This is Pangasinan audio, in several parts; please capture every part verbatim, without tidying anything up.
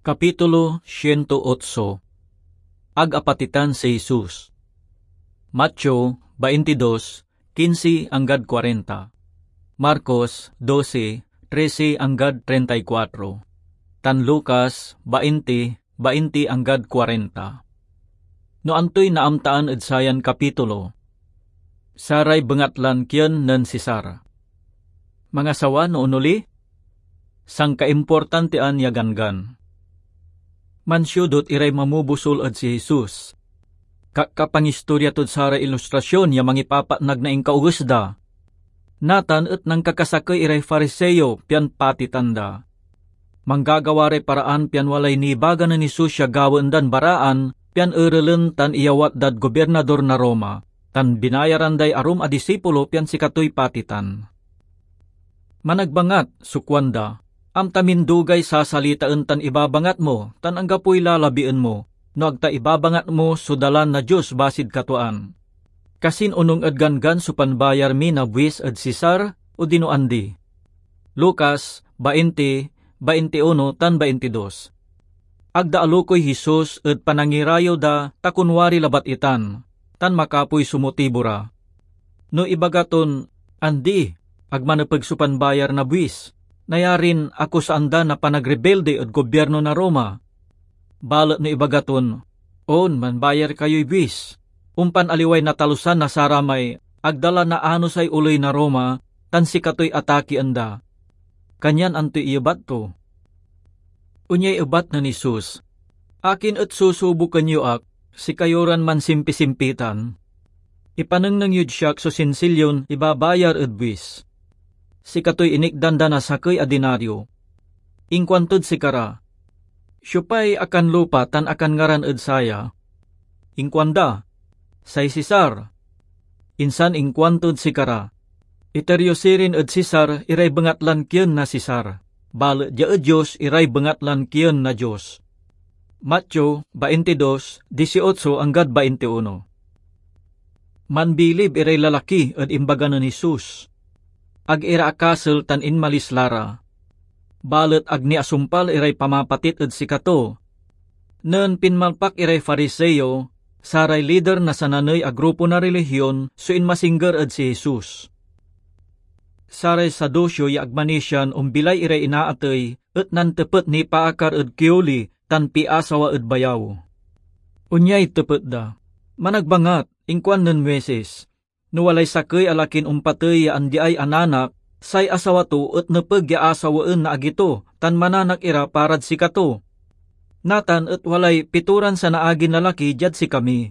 Kapitulo siento otso. Ag apatitan si Jesus. Mateo baintidos, kinsi anggad kuarenta. Marcos dose, trese anggad treinta y cuatro. Tan Lucas bainti, bainti anggad kuarenta. No antoy naamtaan ed sayan kapitulo? Saray bengatlan kien nen Cesar. Mangasawa no onoli? Sankaimportantian ya ganggan. Mansiudot iray mamobusol ed si Jesus. Kakapangistorya tod saray ilustrasyon ya mangipapatnag na inkauges da. Natan et nankakasakey iray Fariseo pian patitan da. Manggagawa ray paraan pian walay nibaga nen Jesus ya gawaen dan baraan pian erelen tan iyawat dad gobirnador na Roma, tan binayaran day arum a disipulo pian sikatoy patitan. Managbangat so kuanda, "Amta min dugay sasalitaen tan ibabangat mo, tan anggapoy lalabien mo, no ag ta ibabangat mo so Dalan na Dios basid katuaan. Kasin onung ed ganggan so panbayar mi na buis ed Cesar, odino andi?" Lucas bainti, baintiuno tan baintidos. Ag da alokoy Jesus ed panangirayew da ta kunwari labat itan, tan makapoy so motibo ra. No ibaga ton, "Andi, ag manepeg so panbayar na buis," nayarin akusaan da na panagrebelde ed gobierno na Roma. Balet no ibaga ton, "On, manbayar kayoy buis," ompan aliway natalusan na saramay ag da la naanusay oley na Roma, tan sikatoy atakian da. Kanyan antoy iyebat to? Onyay ebat nen Jesus, "Akin et susuboken yo ak, sikayo ran mansimpisimpitan? Ipanengneng yod siak so sinsilyon ibabayar ed buis." Sikatoy inikdan da na sakey a dinario. Inkuantod sikara, "Siopay akanlupa tan akanngaran ed saya?" Inkuanda, "Say Cesar." Insan inkuantod sikara, "Iter yo sirin ed Cesar iray bengatlan kien na Cesar, balet dia ed Dios iray bengatlan kien na Dios." Mateo baintidos, dieciocho anggad baintiuno. Manbilib iray lalaki ed imbaga nen Jesus. Ag ira akasel tan inmalis la ra. Balet ag ni asumpal iray pamapatit ed sikato. Nen pinmalpak iray Fariseo, saray lider na sananey a grupo na relihion so inmasingger ed si Jesus. Saray Saduceo ya ag manisian ombilay iray inaatey et nantepet nipaakar ed kioli tan piasawa ed bayaw. Onyay tepet da, "Managbangat, inkuan nen Moises, no walay sakey a lakin ompatey ya andiay ananak, say asawa to et nepeg ya asawaen na agi to tan mananak ira parad sikato. Natan et walay pitoran sanaagin lalaki diad sikami.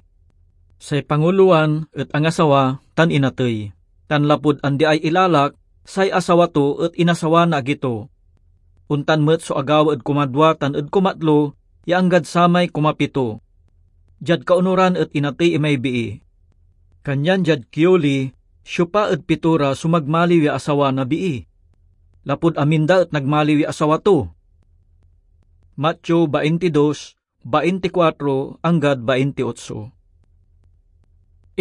Say pangulowan et angasawa tan inatey, tan lapud andiay ilalak, say asawa to et inasawa na agi to. Ontan met so agawa ed kumadwa tan ed kumatlo, ya anggad samay kumapito. Diad kaunoran et inatey imay bii. Kanyan diad kioli, siopa ed pitora so magmaliw ya asawa na bii? Lapud amin da et nagmaliw ya asawa to." Mateo baintidos, bainticuatro anggad baintiotso.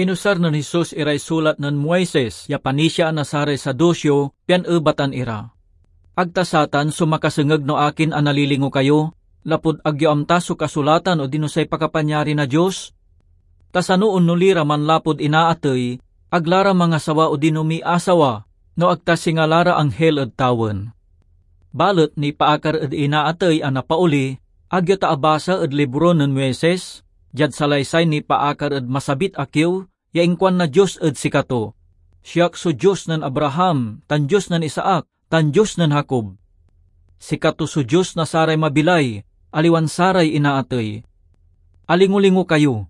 Inusar nen Jesus iray sulat nen Moises ya panisiaan na saray Saduceo pian ebatan ira, "Ag ta satan so makasengeg no akin a nalilingo kayo, lapud ag yo amta so Kasulatan odino say pakapanyari na Dios? Ta sano onoli ra manlapud inaatey, ag la ra mangasawa odino miasawa, no ag ta singa la ra anghel ed tawen. Balet nipaakar ed inaatey a napaoli, ag yo ta abasa ed libro nen Moises, diad salaysay nipaakar ed masabit a kiew, ya inkuan na Dios ed sikato, 'Siak so Dios nen Abraham, tan Dios nen Isaac, tan Dios nen Jacob'? Sikato so Dios na saray mabilay, aliwan saray inaatey. Alingolingo kayo."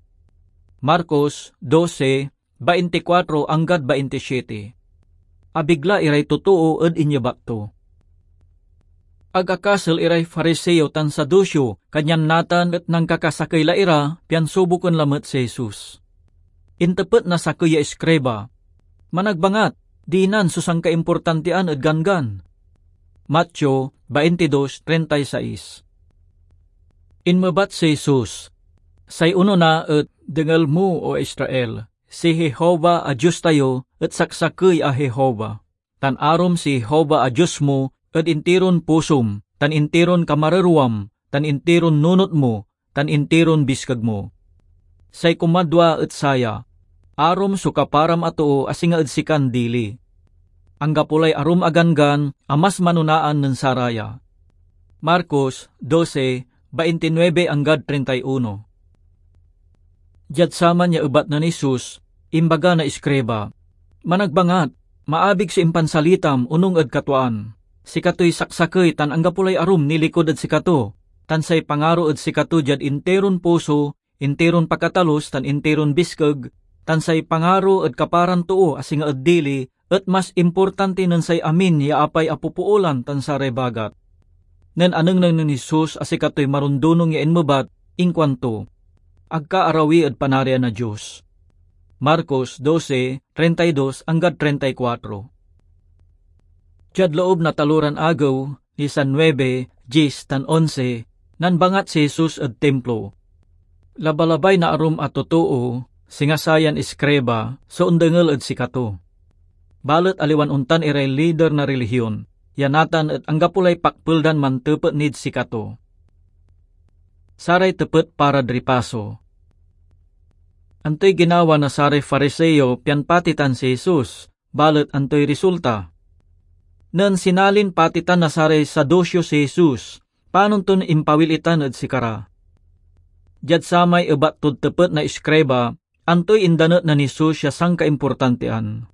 Marcos dose, bainticuatro anggad baintisiete. Abigla iray totoo ed inyebat to. Ag akasel iray Fariseo tan Saduceo, kanyan natan et nankakasakey la ira, pian suboken lamet si Jesus. Intepet na sakey ya iskriba, "Managbangat, dinan so sankaimportantian ed ganggan?" Mateo baintidos, treinta y seis. Inmebat si Jesus, "Say onona et dengel mo, O Israel, si Jehovah a Dios tayo et saksakey a Jehovah, tan arom si Jehovah a Dios mo ed intiron pusom, tan intiron kamarerwam, tan intiron nunot mo, tan intiron biskeg mo. Say kumadwa et saya, arom so kaparam a too a singa ed sikan dili. Anggapo lay arum a ganggan a mas manonaan nen saraya. Marcos doce, baintinuebe anggad treinta y uno. Diad saman ya ebat nen Jesus, imbaga na iskriba, "Managbangat, maabig so impansalitam onung ed katwaan. Sikatoy saksakey tan anggapo lay arum nilikud ed sikato, tan say pangaro ed sikato diad intiron puso, intiron pakatalus tan intiron biskeg, tan say pangaro ed kaparan too a singa ed dili et mas importanti nen say amin ya apay a popoolan tan saray bagat." Nen anengneng nen Jesus a sikatoy marundunong ya inmebat, inkuanto, "Ag ka arawi ed Panarian na Dios." Marcos doce, treinta y dos anggad treinta y cuatro. Diad loob na taloran agew, nisan nuebe, dies, tan onse, nanbangat si Jesus ed Timplo. Labalabay na arum a totoo, singa sayan iskriba, so ondengel ed sikato. Balet aliwan ontan iray lider na rilihion, ya natan et anggapo lay pakpel dan mantepet nid sikato. Saray tepet parad ripaso. Antoy ginawa na saray Fariseo pian patitan si Jesus, balet antoy risulta? Nen sinalin patitan na saray Saduceo si Jesus, panon ton impawil itan ed sikara. Diad samay ebat tod tepet na iskriba, antoy indanet nen Jesus ya sankaimportantian?